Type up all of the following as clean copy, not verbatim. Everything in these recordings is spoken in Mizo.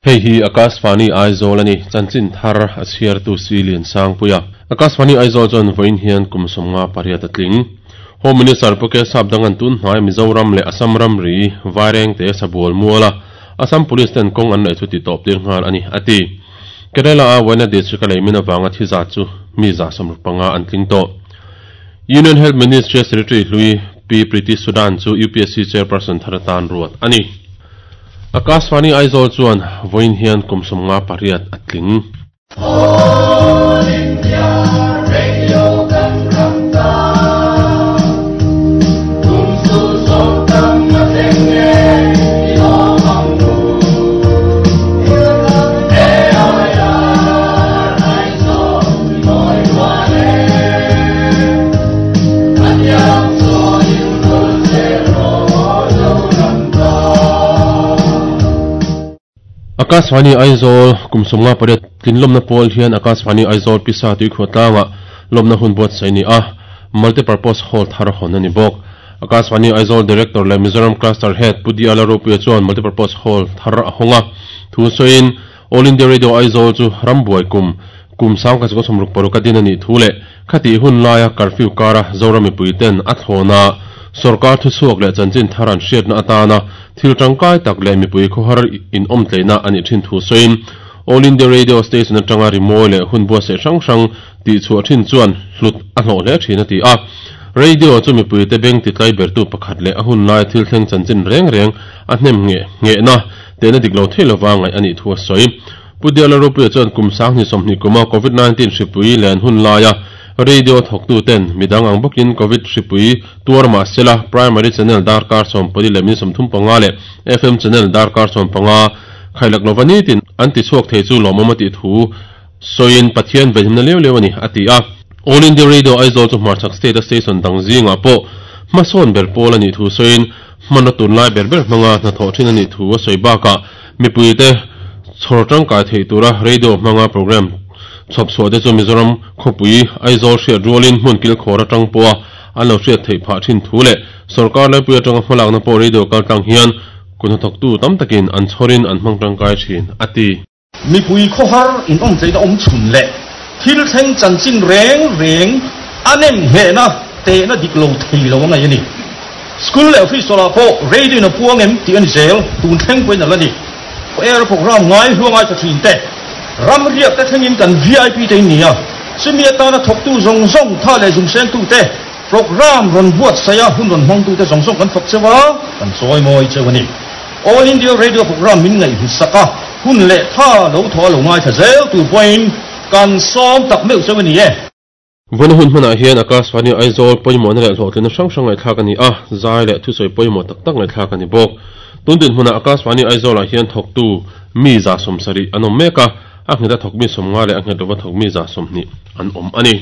Hei hi Akashvani Aizawl a ni, chanchin thar a chhiartu Si Liansangpuia. Akashvani Aizawl chuan vawiin hian kum 58 a tling. Home Minister Pu Kesap Dangan tun hnai Mizoram leh Assam ramri Vairengte Sabual muala Assam Police ten kawng an laih chu titawp tir nghal a ni, a ti. Kerala a Wayanad District a lei min avanga thi zat chu mi 65 an tling tawh. Union Health Ministry a Secretary hlui Pi Preeti Sudan chu UPSC Chairperson thar atan ruat a ni. Akashvani Aizawl chuan vawiin hian kum 58 a tling. All India Radio kan ram ta kum su som tam a thleng e i lawm ang u AIR Aizawl i mawi rual e a tiang chawiin vul zel rawh Zoram ta. Akashvani Aizawl kum 58 tlinlawmna pawl hian Akashvani Aizawl pisa tuikhuah tlangah lawmna hun buatsaih a ni a, Multipurpose Hall thar hawn a ni bawk. Akashvani Aizawl Director leh Mizoram Cluster Head Pu Diala Ropuia chuan Multipurpose Hall thar a hawng a, thu sawiin All India Radio Aizawl chu rambuai kum kum 1966 a din a nih thu leh khatih hun laia curfew kara Zoram mipuiten a thlawna sorkar thuchhuak leh chanchin thar an hriatna atana thil tangkai tak leh mipui khawhar inawmtleihna a nih thin thu sawiin All India Radio Station atanga rimawi leh hun buatsaih hrang hrang tihchhuah thin chuan hlut a hlawh hle thin a ti a. Radio chu mipuite beng titlai bertu pakhat leh a hun laia thil thleng chanchin reng reng a hnem ngheh nghehna tehna dik lo thei lova ngaih a nih thu a sawi. Pu Diala Ropuia chuan kum 2020 kuma Covid 19 hripui len hun laia radio thawktuten midang ang bawkin Covid hripui tuar mah sela Primary Channel darkar 14 leh minute 35 leh FM Channel darkar 15 khailak lova nitin an tichhuak thei chu lawmawm a tih thu sawiin Pathian venhimna leu leu a ni a ti a. All India Radio Aizawl chu hmarchhak state a station dang zingah pawh hmasawn ber pawl a nih thu sawiin hmanraw tunlai ber ber hmanga hnathawh thin a nih thu a sawi bakah mipuite chhawr tangkai theih tura radio hmanga program chhawp chhuah te chu Mizoram khawpui Aizawl hriat rualin hmun kilkhawr atang pawha an lo hriat theih phah thin thu leh sorkar laipui atanga hmalakna pawh radio kaltlang hian kut hnathawktu tam takin an chhawrin an hmang tangkai thin a ti. Mipui khawhar inawmtleihna awm chhun leh thil thleng chanchin reng reng a nem nghehna tehna dik lo thei lo a ngaih a ni. School leh office ah pawh radio in a puang em tih a ni zel, tun thleng pawhin a la ni. Air program ngai hluang ai tha thin te, ram riak te thlengin kan VIP te in ni a, chumi atana thawktu zawng zawng tha leh zumsengtu te, program rawn buatsaih a hun rawn hmangtu te zawng zawng kan fak cheu a, kan chawi mawi cheu a ni. All India Radio program min ngaihhlut a, hun leh tha lo thaw a lo ngaithla zel tur pawhin kan sawm tak meuh cheu a ni e. Vawiin hun hmanah hian Akashvani Aizawl pawimawhna leh hlawhtlinna hrang hrang ngaihthlak a ni a, zai leh thusawi pawimawh tak tak ngaihthlak a ni bawk. Tun dinhmunah Akashvani Aizawlah hian thawktu mi 70 an awm mek a, a nghet a thawk mi 50 leh a nghet lova thawk mi 20 an awm a ni.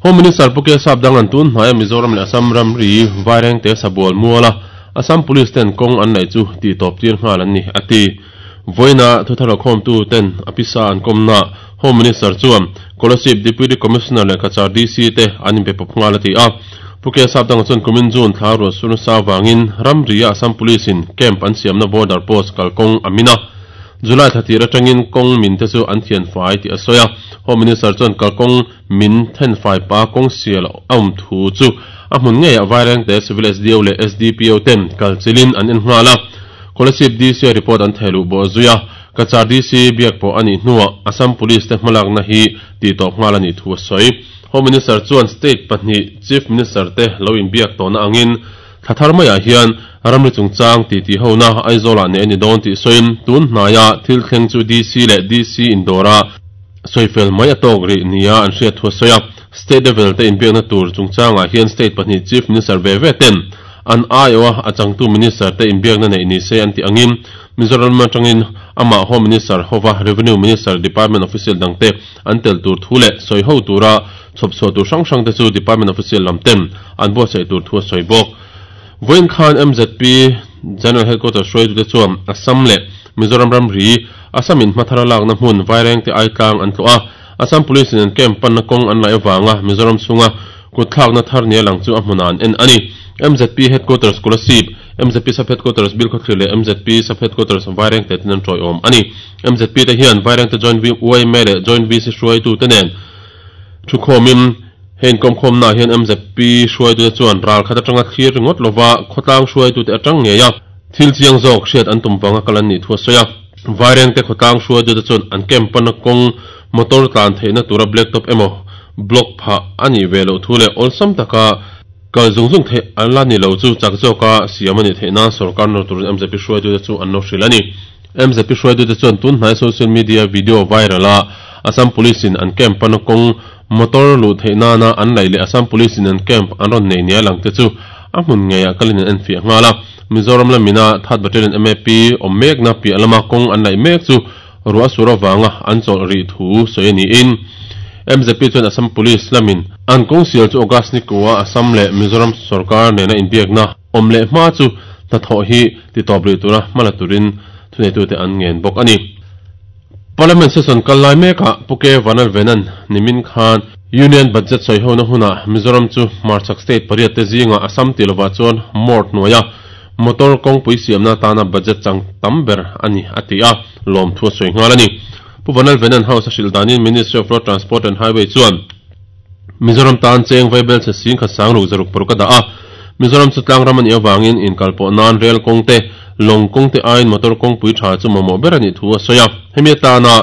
Home Minister Pu Kesap Dangan tun hnaia Mizoram leh Assam ramri Vairengte Sabual muala Assam Police ten kawng an laih chu tihtawp tir nghal an ni, a ti. Vawiina thuthar khawmtu ten a pisa an kawmna Home Minister chuan Kolasib Deputy Commissioner leh Cachar DC te an inpe pawp nghal a ti a. Pu Kesap Danga chuan kumin June thla ruah sur nasa avangin ramria Assam Police in camp an siamna border post kalkawng a min a. July thla tir atangin kawng min te chu an thian fai tih a sawi a. Home Minister chuan kalkawng min then fai pa kawng sial a awm thu chu a hmun ngeiah Vairengte Civil SDO leh SDPO ten kal chilin an en nghal a. Kolasib DC a report an thehluh bawh zui a, Cachar DC biak pawh a nih hnuah Assam Police te hmalakna hi tihtawp nghal a nih thu a sawi. Home Minister chuan state pahnih Chief Minister te lo inbiak tawhna angin thla thar maiah hian ramri chungchang titi hona Aizawlah neih a ni dawn tih sawiin tun hnaia thil thleng chu DC leh DC indawra sawifel mai a tawk rih nia an hriat thu a sawi a. State level te inbiakna tur chungchangah hian state pahnih Chief Minister ve ve ten an aiawha a changtu Minister te inbiakna neih ni se an tih angin Mizoram atangin amah Home Minister hova Revenue Minister Department official dangte an tel tur thu leh sawi ho tura chhawp chhuah tur hrang hrang te chu Department official lam ten an buatsaih tur thu a sawi bawk. Vawiin khan MZP General Headquarters hruaitute chuan Assam leh Mizoram ramri Assam in hmathar a lakna hmun Vairengte Aitlang an tlawh a, Assam Police in an camp panna kawng an laih avanga Mizoram chhunga. Kutthlakna thar nia lang chu a hmunah an en a ni. MZP Headquarters Kolasib, MZP Sub Headquarters Bilkhawthlir leh MZP Sub Headquarters Vairengte ten an tawiawm a ni. MZP te hian Vairengte Joint yma leh Joint VC hruaitute nen thukhawmin he inkawmkhawmnaah hian MZP hruaitute chuan ral khat atanga thlir ringawt lova khawtlang hruaitute atang ngei a thil chiang zawk hriat an tum vanga kal an nih thu a sawi a. Vairengte khawtlang hruaitute chuan an camp pana kawng motor tlan theihna tura blacktop emaw block phah a nih ve loh thu leh awlsam taka kal zung zung theih a la ni lo chu chak zawka siam a nih theih nan sorkar nawr turin MZP hruaitute chu an lo hrilh a ni. MZP hruaitute chuan tunhnai social media video viral a Assam Police in an camp pana kawng motor luh theih nana an laih leh Assam Police in an camp an rawn nei nia lang te chu a hmun ngeiah kalin an enfiah nghal a. Mizoram lamina Third Battalion MAP awm mekna piah lama kawng an laih mek chu ruah sur avanga an chawlh rih thu sawi a niin MZP chuan Assam Police lamin an kawng sial chu August ni kua Assam leh Mizoram sorkar nena inbiakna awm leh hma chu hnathawh hi titawp rih tura hmala turin thuneitute an ngen bawk a ni. Parliament session kal lai mekah Pu K Vanlalvenan nimin khan Union Budget sawihona hunah Mizoram chu hmarchhak state pariat te zingah Assam tih lovah chuan mort hnuaia motor kawngpui siamna atana budget chang tam ber a ni a ti a, lawmthu a sawi nghal a ni. Pu Vanlalvenan House a hrilh danin Ministry of Road Transport and Highway chuan Mizoram tan cheng vaibel chhe sing khat sang ruk zaruk paruk a dah a, Mizoram chu tlang ram a nih avangin inkalpawh nan rel kawng te, lawng kawng te aiin motor kawngpui tha chu mamawh ber a nih thu a sawi a. Hemi atana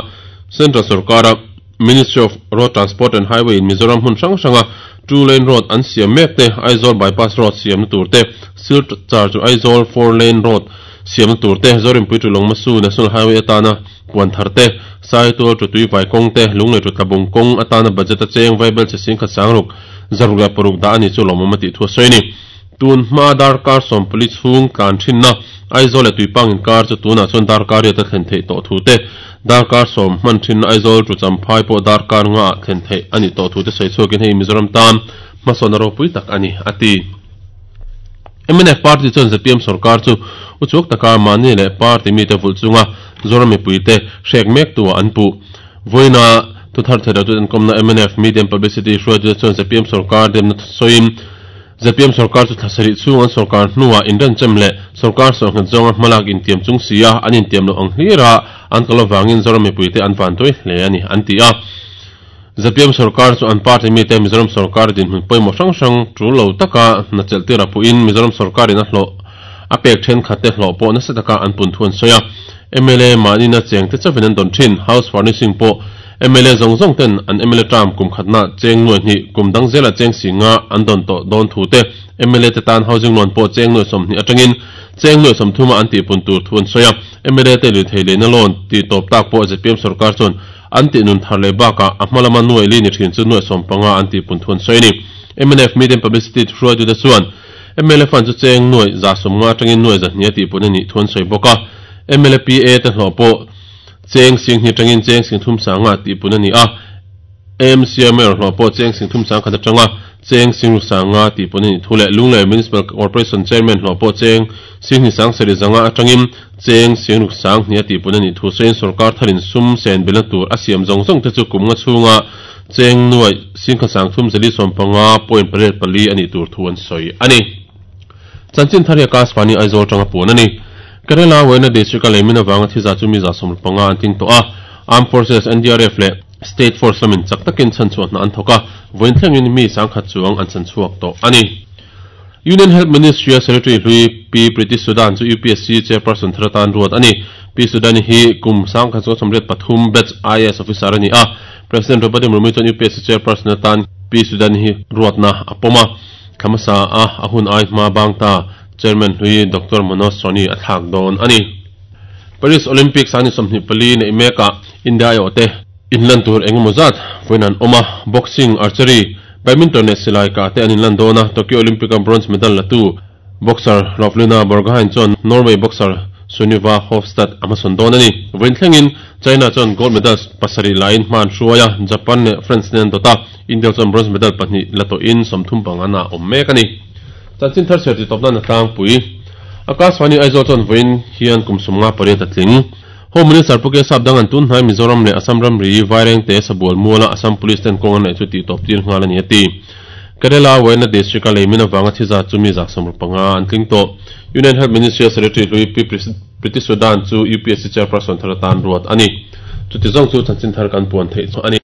Central sorkara Ministry of Road Transport and Highway in Mizoram hmun hrang hranga two lane road an siam mek te, Aizawl bypass road siamna tur te, Silchar chu Aizawl four lane road siamna tur te, Zorinpui to Lawngmasu National Highway atana puan thar te, Saitual to Tuivai kawng te, Lunglei to Tlabung kawng atana budget a cheng vaibel che singkhat sangruk, zaruk leh paruk dah a ni chu lawmawm a tih thu a sawi a ni. Tun hma darkar sawmpali chhung tlan thinna Aizawl leh Tuipang inkar chu tunah chuan darkar riat a thlen theih tawh thu te, darkar sawm hman thinna Aizawl tu Champhai pawh darkar nga ah thlen theih a nih tawh thu te sawi chhuakin hei Mizoram tan hmasawnna ropui tak a ni, a ti. Mnf party chuan zpm sorkar chu uchuak taka mahni leh party mite vulh chunga Zoram mipuite hrek mek tu ah an puh. Vawiina thuthar theih loh chu enkawmna mnf Media and Publicity hruaitute chuan zpm sorkar demna sawiin, Zpm sorkar chu thla sarih chhung an sorkar hnuah inrenchem leh sorkar sawhnghet zawnga hmalak intiam chung si a, an intiam loh ang hlira an kal avangin Zoram mipuite an vantuai hle a ni, an ti a. Zpm sorkar chu an party mite Mizoram sorkar dinhmun pawimawh hrang hrang tul lo taka hna chelh tir a puhin Mizoram sorkarin a hlawh a pek thenkhatte hlawh pawh nasa taka an pun thu an sawi a. Mla mahnina chengte chauhin an dawn thin. House furnishing pawh mla zawng zawng ten an mla term kum khatna cheng nuai hnih, kum dang zela cheng si nga an dawn tawh dawn thu te, mla te tan housing loan pawh cheng nuai 20 atangin cheng nuai 30 a an tihpun tur thu an sawi a. Mla te lirthei leina loan tih tawp tak pawh zpm sorkar chuan an tih nun thar leh bakah a hma lama nuai li ni thin chu nuai 15 an tihpun thu an sawi a ni. Mnf Medium Publicity hruaitute chuan mla fund chu cheng nuai 150 atangin nuai 200 a tihpun a nih thu an sawi bawk a. Mla PA te hlawh pawh cheng sing hnih atangin cheng sing thum sanga tihpun a ni a, AMC Mayor hlawh pawh cheng sing thum sang khat atanga cheng sing ru sanga tihpun a nih thu leh Lunglei Municipal Corporation Chairman hlawh pawh cheng sing hnih sang sarih zanga atangin cheng sing ruk sang hnih a tihpun a nih thu sawiin sorkar tharin sum sen belna tur a siam zawng zawng te chu kum nga chhunga cheng nuaih sing khat sang thum zali 15.84 a nih tur thu an sawi a ni. Chanchin thar hi Akashvani Aizawl atanga puan a ni. Kerala Wayanad District a leimin avanga thi zah chu mi 75 an tling tawh a. Armed Forces, NDRF leh State Force lamin chak takin chhanchhuah hna an thawk a, vawiin thlengin mi sangkhat chuang an chhanchhuak tawh a ni. Union Health Ministry-a Secretary hlui Pi Preeti Sudan chu UPSC Chairperson thar atan ruat a ni. Pi Sudan-i hi kum sangkhat chuang 83 batch IAS officer a ni a. President Draupadi Murmu chuan UPSC Chairperson atan Pi Sudan-i hi ruatna a pawm a. Thla hmasa a a hun ai hma bang ta Chairman hlui Doctor Manoj Soni a thlak dawn a ni. Paris Olympics a ni 24 neih mekah India aiawh te inlan tur eng emaw zat vawiin an awm a, boxing, archery, badminton leh silai kah te an inlan dawn a, Tokyo Olympic a bronze medal la tu boxer Lovlina Borgohain chuan Norway boxer Sunniva Hofstad a hmasawn dawn a ni. Vawiin thlengin China chuan gold medals pasarih lain hma an hruai a, Japan leh France nen an dawt a, India chuan bronze medal pahnih la tawhin 35 ah awm mek a ni. Chanchin thar chhiar titawp nan a tlangpui. Akashvani Aizawl chuan vawiin hian kum 58 a tling. Home Minister Pu Kesap Dangan tun hnai Mizoram leh Assam ramri Vairengte Sabual muala Assam Police ten kawng an neih chu tihtawp tir nghal a ni a ti. Kerala Wayanad District-a leimin avanga thi zat chu mi 150 an tling tawh. Union Health Ministry-a Secretary hlui Pi Priti Sudan chu UPSC Chairperson thar atan ruat a ni. Chuti zawng chu chanchin thar kan puan theih chu a ni.